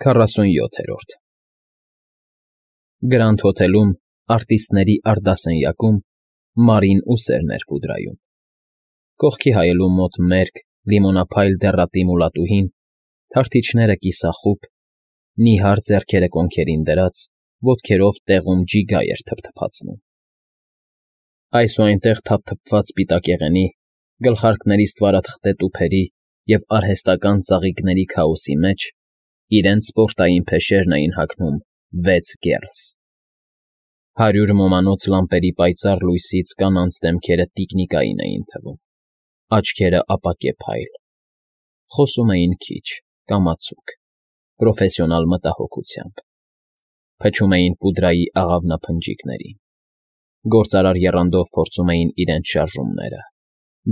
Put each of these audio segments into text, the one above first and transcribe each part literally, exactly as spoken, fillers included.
Քառասունյոթերորդ Գրանդ հոթելում, արտիստների արդասենյակում Մարին ուսերն էր պուդրայում, կողքի հայելու մոտ մերկ, լիմոնափայլ դեղատի մուլատուհին, թարթիչները կիսախուբ, նիհար ձեռքերը կոնքերին դրած, ոտքերով տեղում ջիգա էր թփթփացնում. այս ու այնտեղ թափթփված սպիտակեղենի, գլխարկների ստվարաթղթե տուփերի և արհեստական ծաղիկների քաոսի մեջ իրենց սպորտային փեշերն էին հագնում վեց գերլս. հարյուր ոմանոց լամպերի պայծառ լույսից կանանց դեմքերը տիկնիկային էին թվում, աչքերը ապակեպ֊փայլ, խոսում էին քիչ, կամացուկ, պրոֆեսիոնալ մտահոգությամբ, փչում էին պուդրայի աղավնափնջիկներին, գործարար եռանդով փորձում էին իրենց շարժումները,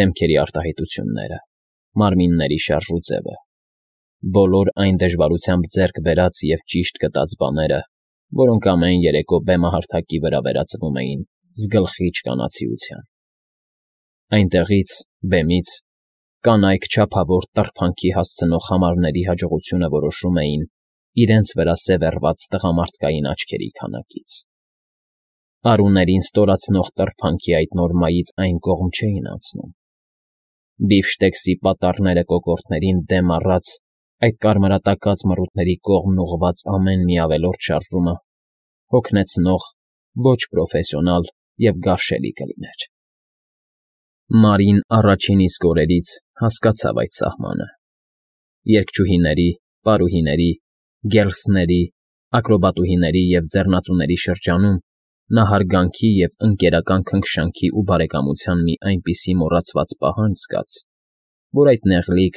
դեմքերի արտահայտությունները, մարմինների շարժուձևը, բոլոր այն դժվարությամբ ձեռք բերած և ճիշտ գտած բաները, որոնք ամեն երեկո բեմահարթակի վրա վերածվում էին զգլխիչ կանացիության. այնտեղից, բեմից, կանայք չափավոր տրփանքի հասցնող համարների հաջողությունը որոշում էին իրենց վրա սևեռված տղամարդկային աչքերի քանակից. արուներին ստորացնող տրփանքի այդ նորմայից այն կողմ չէին անցնում, բիֆշտեքսի պատառները կոկորդներին դեմ առած այդ կարմրատակած մռութների կողմն ուղղված ամեն մի ավելորդ շարժումը հոգնեցնող, ոչ պրոֆեսիոնալ և գարշելի կլիներ. Մարին առաջին իսկ օրերից հասկացավ այդ սահմանը. երգչուհիների, պարուհիների, գերլսների, ակրոբատուհիների և ձեռնածուների շրջանում նա հարգանքի և ընկերական քնքշանքի ու բարեկամության մի այնպիսի մոռացված պահանջ զգաց, որ այդ նեղլիկ,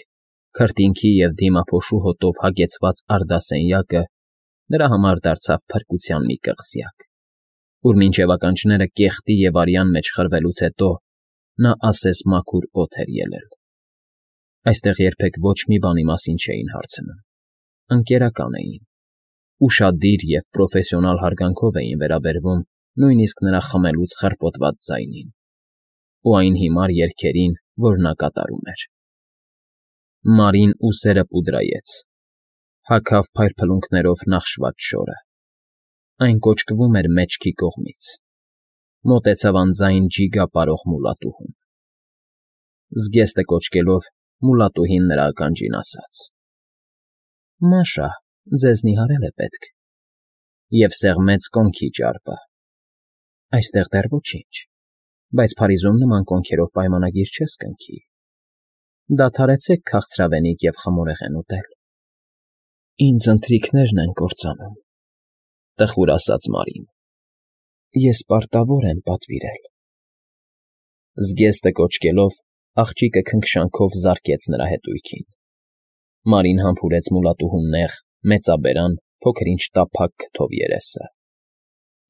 քրտինքի և դիմափոշու հոտով հագեցված արդասենյակը նրա համար դարձավ փրկության մի կղզյակ, ուր մինչև ականջները կեղտի և արյան մեջ խրվելուց հետո նա ասես մաքուր օդ էր ելել. այստեղ երբեք ոչ մի բանի մասին չէին հարցնում, ընկերական էին, ուշադիր և պրոֆեսիոնալ հարգանքով էին վերաբերվում նույնիսկ նրա խմելուց խռպոտված ձայնին ու այն հիմար երգերին, որ նա կատարում էր. Մարին ուսերը պուդրայեց, հագավ փայլփլունքներով նախշված շորը, այն կոճկվում էր մեջքի կողմից, մոտեցավ անձայն ջիգա պարող մուլատուհուն. զգեստը կոճկելով մուլատուհին նրա ականջին ասաց. «Մաշա, ձեզ նիհարել է պետք» և սեղմեց կոնքի ճարպը. «Այստեղ դեռ ոչինչ, բայց Փարիզում նման կոնքերով պայմանագիր չես կնքի, դադարեցեք քաղցրավենիք և խմորեղեն ուտել»։ «Ինձ ընթրիքներն են կործանում», տխուր ասաց Մարին, «ես պարտավոր եմ պատվիրել»։ Զգեստը կոճկելով աղջիկը քնքշանքով զարկեց նրա հետույքին. Մարին համբուրեց մուլատուհու նեղ, մեծաբերան, փոքր֊ինչ տափակ քթով երեսը,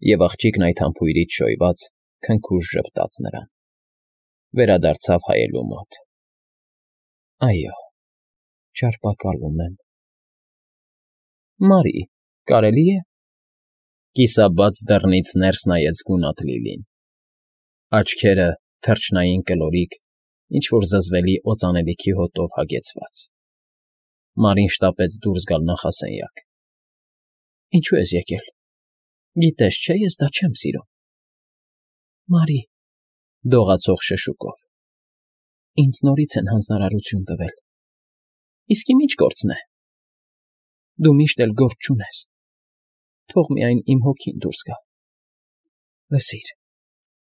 և աղջիկն այդ համբույրից շոյված քնքուշ ժպտաց նրան, վերադարձավ հայելու մոտ. «Այո, չարպակալում եմ»։ «Մարի, կարելի է»։ Կիսաբաց դռնից ներս նայեց գունատ Լիլին, աչքերը թռչնային կլորիկ, ինչ֊որ զզվելի օծանելիքի հոտով հագեցված. Մարին շտապեց դուրս գալ նախասենյակ. «Ինչո՞ւ ես եկել, գիտես չէ՞ ես դա չեմ սիրում»։ «Մարի», դողացող շշուկով, «ինձ նորից են հանձնարարություն տվել, իսկի ի՞նչ գործն է»։ «Դու միշտ էլ գործ չունես, թող միայն իմ հոգին դուրս գա»։ «Լսիր,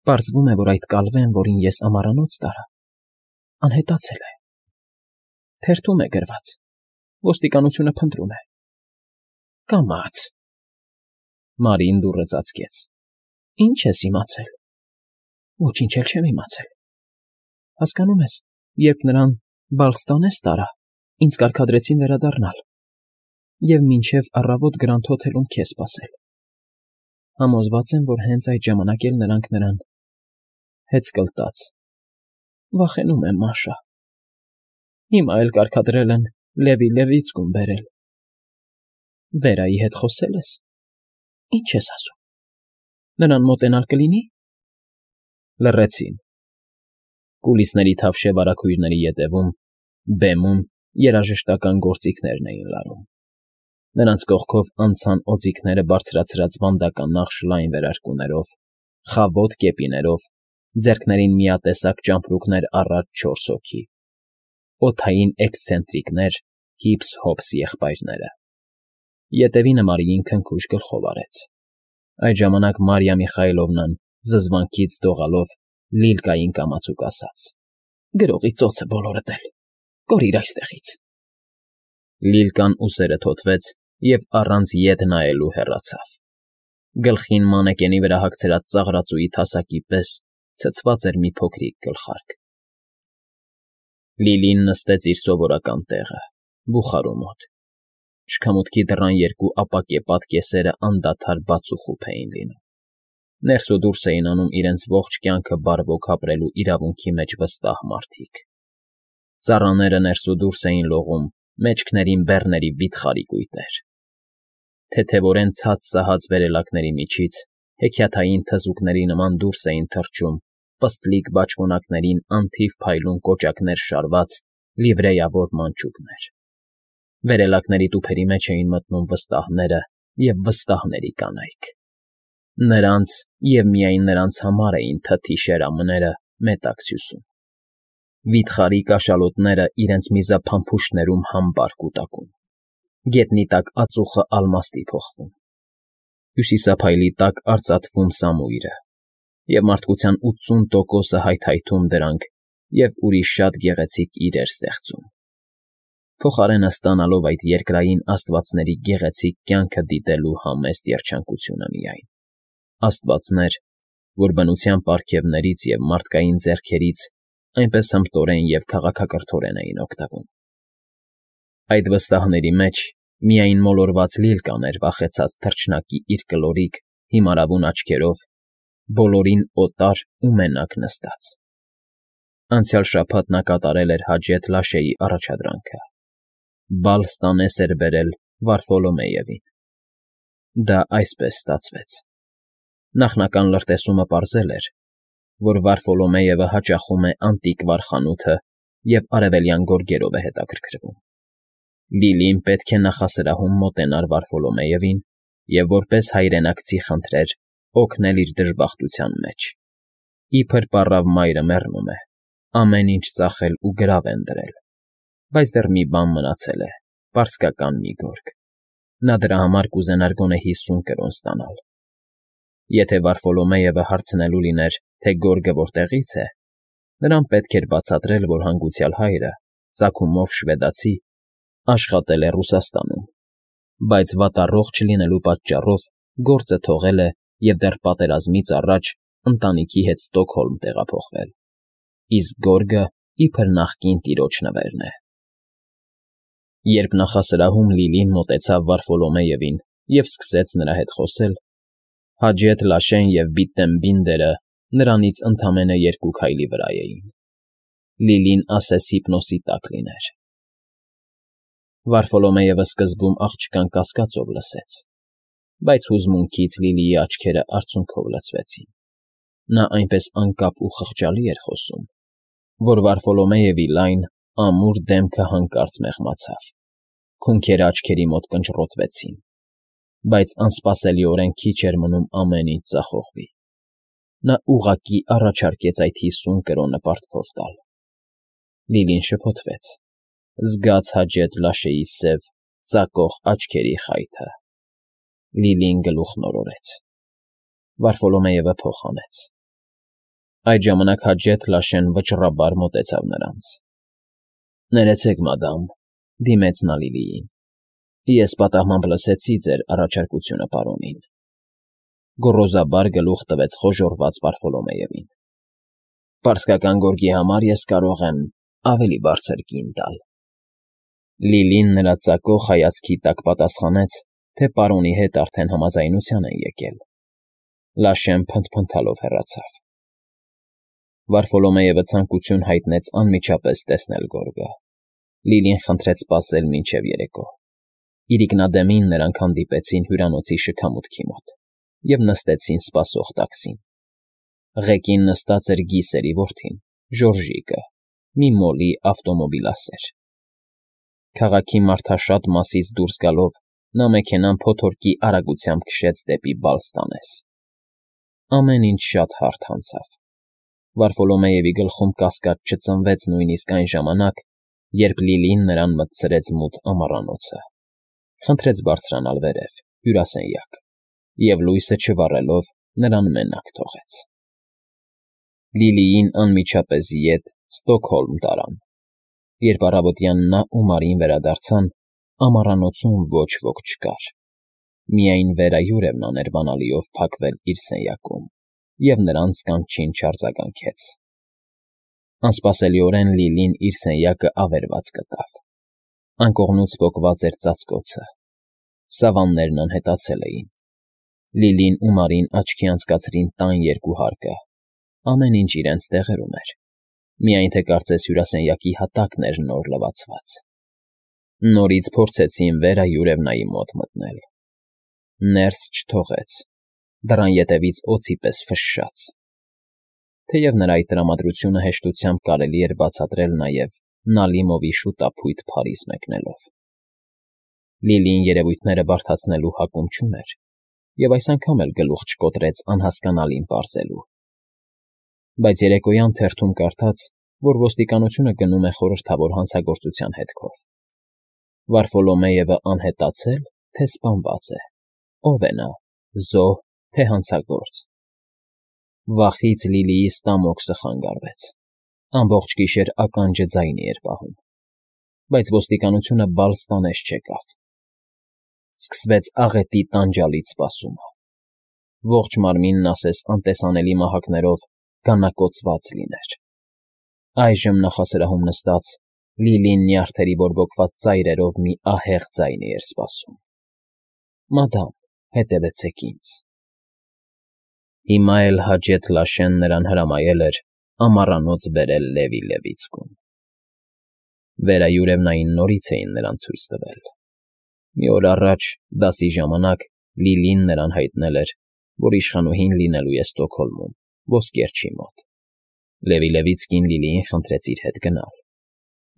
պարզվում է, որ այդ կալվեն, որին ես ամառանոց տարա, անհետացել է, թերթում է գրված, ոստիկանությունը փնտրում է»։ «Կամաց»։ Մարին դուռը ծածկեց. «Ի՞նչ ես իմացել»։ «Ոչինչ էլ չեմ իմացել։ Հասկանում ես, երբ նրան Բալստանես տարա, ինձ կարգադրեցին վերադառնալ և մինչև առավոտ Գրանդ հոթելում քեզ սպասել։ Համոզված եմ, որ հենց այդ ժամանակ էլ նրանք նրան…» Հեծկլտաց. «Վախենում եմ, Մաշա։ Հիմա էլ կարգադրել են Լևի Լևիցկուն բերել»։ «Վերայի հետ խոսե՞լ ես։ Ի՞նչ ես ասում, նրան մոտենալ կլինի»։ Լռեցին. կուլիսների թավշե վարագույրների ետևում, բեմում երաժշտական գործիքներն էին լարում։ Նրանց կողքով անցան օձիքները բարձրացրած վանդական նախշ լայն վերարկուներով, խավոտ կեպիներով, ձեռքներին միատեսակ ճամպրուկներ առած չորս հոգի, օդային էքսցենտրիկներ, հիփս֊հոփս եղբայրները։ Ետևինը Մարիին քնքուշ գլխով արեց։ Այդ ժամանակ Մարիա Միխայելովնան, զզվանքից դողալով, Լիլկային կամացուկ ասաց. «Գրողի ծոցը բոլորդ էլ, կորիր այստեղից»։ Լիլկան ուսերը թոթվեց և առանց ետ նայելու հեռացավ։ Գլխին մանեկենի վրա հագցրած ծաղրածուի թասակի պես ցցված էր մի փոքրիկ գլխարկ։ Լիլին նստեց իր սովորական տեղը, բուխարու մոտ։ Շքամուտքի դռան երկու ապակեպատ կեսերը անդադար բաց ու խուփ էին լինում։ Ներս ու դուրս էին անում իրենց ողջ կյանքը բարվոք ապրելու իրավունքի մեջ վստահ մարդիկ։ Ծառաները ներս ու դուրս էին լողում, մեջքներին բեռների վիթխարի կույտեր։ Թեթևորեն ցած սահած վերելակների միջից հեքիաթային թզուկների նման դուրս էին թռչում պստլիկ բաճկոնակներին անթիվ փայլուն կոճակներ շարված լիվրեյավոր մանչուկներ։ Վերելակների տուփերի մեջ էին մտնում վստահները և վստահների կանայք։ Նրանց և միայն նրանց համար էին թթի շերամները մետաքս հյուսում։ Վիթխարի կաշալոտները իրենց միզափամփուշտներում համբար կուտակում, գետնի տակ ածուխը ալմաստի փոխվում, հյուսիսափայլի տակ արծաթվում սամույրը, և մարդկության ութսուն տոկոսը հայթայթում դրանք և ուրիշ շատ գեղեցիկ իրեր ստեղծում։ Փոխարենը ստանալով այդ երկրային աստվածների գեղեցիկ կյանքը դիտելու համեստ երջանկությունը միայն։ Աստվածներ, որ բնության պարգևներից և մարդկային ձեռքերից այնպես հմտորեն և քաղաքակրթորեն էին օգտվում։ Այդ վստահների մեջ միայն մոլորված Լիլկան էր վախեցած թռչնակի իր կլորիկ, հիմարավուն աչքերով, բոլորին օտար ու մենակ նստած։ Անցյալ շաբաթ նա կատարել էր Հաջեթ Լաշեի առաջադրանքը։ Բալ ստանես էր բերել Վարֆոլոմեևին։ Դա այսպես ստացվեց։ Նախնական լրտեսումը պարզել էր, որ Վարֆոլոմեևը հաճախում է անտիկվար խանութը և արևելյան գորգերով է հետաքրքրվում։ Լիլին պետք է նախասրահում մոտենար Վարֆոլոմեևին և որպես հայրենակցի խնդրեր օգնել իր դժբախտության մեջ։ Իբր պառավ մայրը մեռնում է, ամեն ինչ ծախել ու գրավ են դրել, բայց դեռ մի բան մնացել է, պարսկական մի գորգ։ Նա դրա համար կուզենար գոնե հիսուն կրոն ստանալ։ Եթե Վարֆոլոմեևը հարցնելու լիներ, թե գորգը որտեղից է, նրան պետք էր բացատրել, որ հանգուցյալ հայրը, ծագումով շվեդացի, աշխատել է Ռուսաստանում, բայց վատառողջ լինելու պատճառով գործը թողել է և դեռ պատերազմից առաջ ընտանիքի հետ Ստոկհոլմ տեղափոխվել, իսկ գորգը իբր նախկին տիրոջ նվերն է։ Երբ նախասրահում Լիլին մոտեցավ Վարֆոլոմեևին և սկսեց նրա հետ խոսել, Հաջեթ Լաշեն և Բիթտենբինդերը նրանից ընդամենը երկու քայլի վրա էին։ Լիլին ասես հիպնոսի տակ լիներ։ Վարֆոլոմեևը սկզբում աղջկան կասկածով լսեց, բայց հուզմունքից Լիլիի աչքերը արցունքով լցվեցին։ Նա այնպես անկապ ու խղճալի էր խոսում, որ Վարֆոլոմեևի լայն, ամուր դեմքը հանկարծ մեղմացավ, քունքերը աչքերի մոտ կնճռոտվեցին, բայց անսպասելիորեն քիչ էր մնում ամեն ինչ ձախողվի։ Նա ուղղակի առաջարկեց այդ հիսուն կրոնը պարտքով տալ։ Լիլին շփոթվեց, զգաց Հաջեթ Լաշեի սև, ծակող աչքերի խայթը։ Լիլին գլուխ նորորեց։ Վարֆոլոմեևը փող հանեց։ Այդ ժամանակ Հաջեթ Լաշեն վճռաբար մոտեցավ նրանց։ «Ներեցեք, մադամ», դիմեց նա Լիլիին։ «Ես պատահմամբ լսեցի ձեր առաջարկությունը պարոնին»։ Գոռոզաբար գլուխ տվեց խոժոռված Վարֆոլոմեևին։ «Պարսկական գորգի համար ես կարող եմ ավելի բարձր կին տալ»։ Լիլին նրա ծակող հայացքի տակ պատասխանեց, թե պարոնի հետ արդեն համաձայնության են եկել։ Լաշեն փնթփնթալով հեռացավ։ Վարֆոլոմեևը ցանկություն հայտնեց անմիջապես տեսնել գորգը։ Լիլին խնդրեց սպասել մինչև երեկո։ Իրիկնադեմին նրանք հանդիպեցին հյուրանոցի շքամուտքի մոտ և նստեցին սպասող տաքսին։ Ղեկին նստած էր Գիսերի որդին, Ժորժիկը, մի մոլի ավտոմոբիլասեր։ Քաղաքի մարդաշատ մասից դուրս գալով նա մեքենան փոթորկի արագությամբ քշեց դեպի Բալստանես։ Ամեն ինչ շատ հարթ անցավ։ Վարֆոլոմեևի գլխում կասկած չծնվեց նույնիսկ այն ժամանակ, երբ Լիլին նրան մտցրեց մութ ամառանոցը, խնդրեց բարձրանալ վերև, հյուրասենյակ, և լույսը չվառելով նրան մենակ թողեց։ Լիլիին անմիջապես ետ Ստոկհոլմ տարան։ Երբ առավոտյան նա ու Մարին վերադարձան, ամառանոցում ոչ ոք չկար։ Միայն Վերա Յուրևնան էր բանալիով փակվել իր սենյակում և նրանց կանչին չարձագանքեց։ Անսպասելիորեն Լիլին իր սենյակը ավերված գտավ։ Անկողնուց պոկված էր ծածկոցը։ Սավաններն անհետացել էին։ Լիլին ու Մարին աչքի անցկացրին տան երկու հարկը։ Ամեն ինչ իրենց տեղերում էր։ Միայն թե կարծես հյուրասենյակի հատակն էր նոր լվացված։ Նորից փորձեցին Վերա Յուրևնայի մոտ մտնել։ Ներս չթողեց, դռան ետևից օձի պես ֆշշաց։ Թեև նրա այդ տրամադրությունը հեշտությամբ կարելի էր բացատրել նաև Նալիմովի շուտափույթ Փարիզ մեկնելով։ Լիլին երևույթները բարդացնելու հակում չուներ և այս անգամ էլ գլուխ չկոտրեց անհասկանալին պարզելու։ Բայց երեկոյան թերթում կարդաց, որ ոստիկանությունը գնում է խորհրդավոր հանցագործության հետքով։ Վարֆոլոմեևը անհետացե՞լ, թե սպանված է։ Ո՞վ է նա՝ զոհ, թե հանցագործ։ Վախից Լիլիի ստամոքսը խանգարվեց։ Ամբողջ գիշեր ականջը ձայնի էր պահում։ Բայց ոստիկանությունը Բալստանես չեկավ։ Սկսվեց աղետի տանջալից սպասումը։ Ողջ մարմինն ասես անտեսանելի մահակներով գանակոծված լիներ։ Այժմ նախասրահում նստած՝ Լիլին նյարդերի բորբոքված ծայրերով մի ահեղ ձայնի էր սպասում. «Մադամ, հետևեցեք ինձ»։ Հիմա էլ Հաջեթ Լաշեն նրան հրամայել էր ամառանոց բերել Լևի Լևիցկուն։ Վերա Յուրևնային նորից էին նրան ցույց տվել։ Մի օր առաջ, դասի ժամանակ, Լիլին նրան հայտնել էր, որ իշխանուհին լինելու է Ստոկհոլմում, ոսկերչի մոտ։ Լևի Լևիցկին Լիլիին խնդրեց իր հետ գնալ։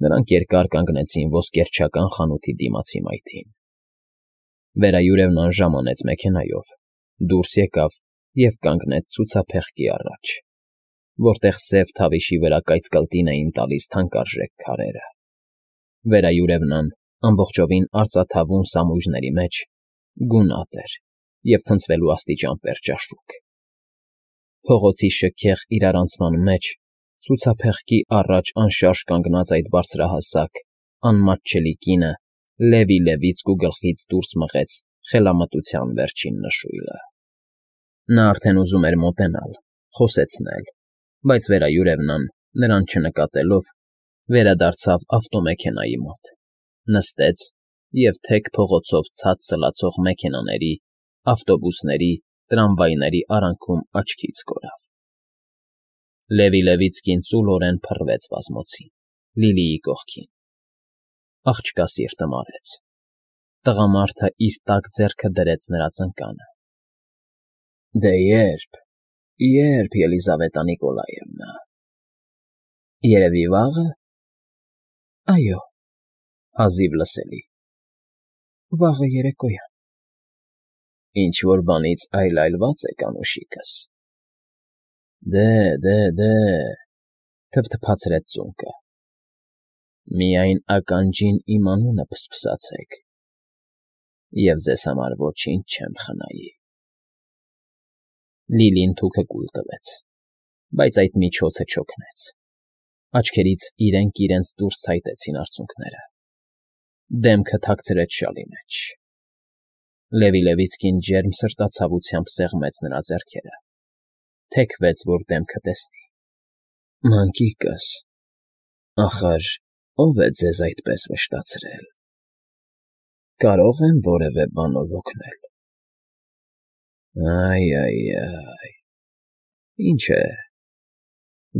Նրանք երկար կանգնեցին ոսկերչական խանութի դիմացի մայթին։ Վերա Յուրևնան ժամանեց մեքենայով, դուրս եկավ և կանգնեց ցուցափեղկի առաջ, որտեղ սև թավիշի վրա կայծկլտին էին տալիս թանկարժեք քարերը։ Վերա Յուրևնան, ամբողջովին արծաթավուն սամույրների մեջ, գունատ էր և ցնցվելու աստիճան պերճաշուք։ Փողոցի շքեղ իրարանցման մեջ, ցուցափեղկի առաջ անշարժ կանգնած այդ բարձրահասակ, անմատչելի կինը Լևի Լևիցկու գլխից դուրս մղեց խելամտության վերջին նշույլը։ Նա արդեն ուզում էր մոտենալ, խոսեցնել, բայց Վերա Յուրևնան, նրան չնկատելով, վերադարձավ ավտոմեքենայի մոտ, նստեց և թեք փողոցով ցած սլացող մեքենաների, ավտոբուսների, տրամվայների արանքում աչքից կորավ։ Լևի Լևիցկին ծուլորեն փռվեց բազմոցին, Լիլիի կողքին։ Աղջկա սիրտը մարեց։ Տղամարդը իր տաք ձեռքը դրեց նրա ծնկանը։ Դե ե՞րբ, ե՞րբ, Ելիզավետա Նիկոլաևնա։ Երևի վաղը։ Այո, հազիվ լսելի։ Վաղը երեկոյան։ Ինչ֊որ բանից այլայլված եք, անուշիկս։ Դե, դե, դե, թփթփացրեց ծունկը։ Միայն ականջին իմ անունը փսփսացեք, և ձեզ համար ոչինչ չեմ խնայի։ Լիլին թուքը կուլ տվեց, բայց այդ միջոցը չօգնեց։ Աչքերից իրենք իրենց դուրս ցայտեցին արցունքները։ Դեմքը թաքցրեց շալի մեջ։ Լևի Լևիցկին ջերմ սրտացավությամբ սեղմեց նրա ձեռքերը, թեքվեց, որ դեմքը տեսնի։ Մանկիկս, ախր ո՞վ է ձեզ այդպես վշտացրել։ Կարո՞ղ եմ որևէ բանով օգնել։ Այ֊այ֊այ, ինչ է,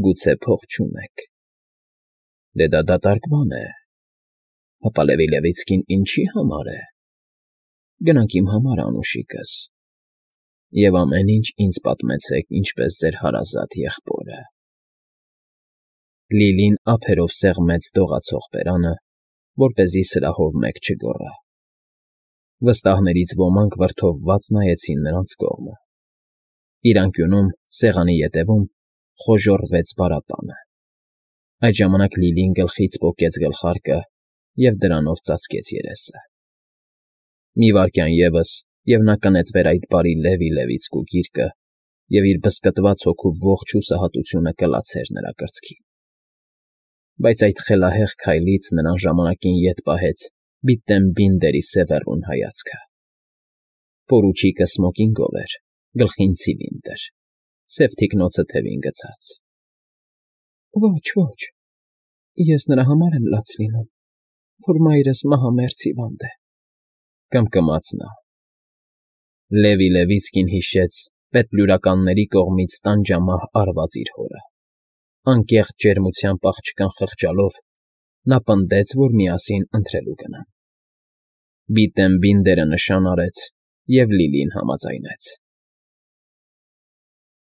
գուցե փող չունեք։ Դե դա դատարկ բան է։ Հապա Լևի Լևիցկին ինչի համար է։ Գնանք իմ համար, անուշիկս, և ամեն ինչ ինձ պատմեցեք, ինչպես ձեր հարազատ եղբորը։ Լիլին ափերով սեղմեց դողացող բերանը, որպեսզի սրահով մեկ չգոռա։ Վստահներից ոմանք վրդովված նայեցին նրանց կողմը։ Իր անկյունում, սեղանի ետևում, խոժոռվեց բարապանը։ Այդ ժամանակ Լիլին գլխից պոկեց գլխարկը և դրանով ծածկեց երեսը։ Մի վայրկյան ևս, և նա կնետվեր այդ բարի Լևի֊Լևիցկու գիրկը և իր բզկտված հոգու ողջ հուսահատությունը կլացեր նրա կրծքին։ Բայց այդ խելահեղ քայլից նրան ժամանակին ետ պահեց Բիլտեմբինդերի սևեռուն հայացքը։ Պորուչիկը սմոկինգով էր, գլխին ցիլինդր, սև թիկնոցը թևին գցած։ ֊ Ոչ, ոչ, ես նրա համար եմ լաց լինում, որ մայրս մահամերձ հիվանդ է,֊ կմկմաց նա։ Լևի֊Լևիցկին հիշեց պետբլուրականների կողմից տանջամահ արված իր հորը։ Անկեղծ ջերմությամբ աղջկան խղճալով՝ նա պնդեց, որ միասին ընթրելու գնան։ Բիլտեմբինդերը նշան արեց, և Լիլին համաձայնեց։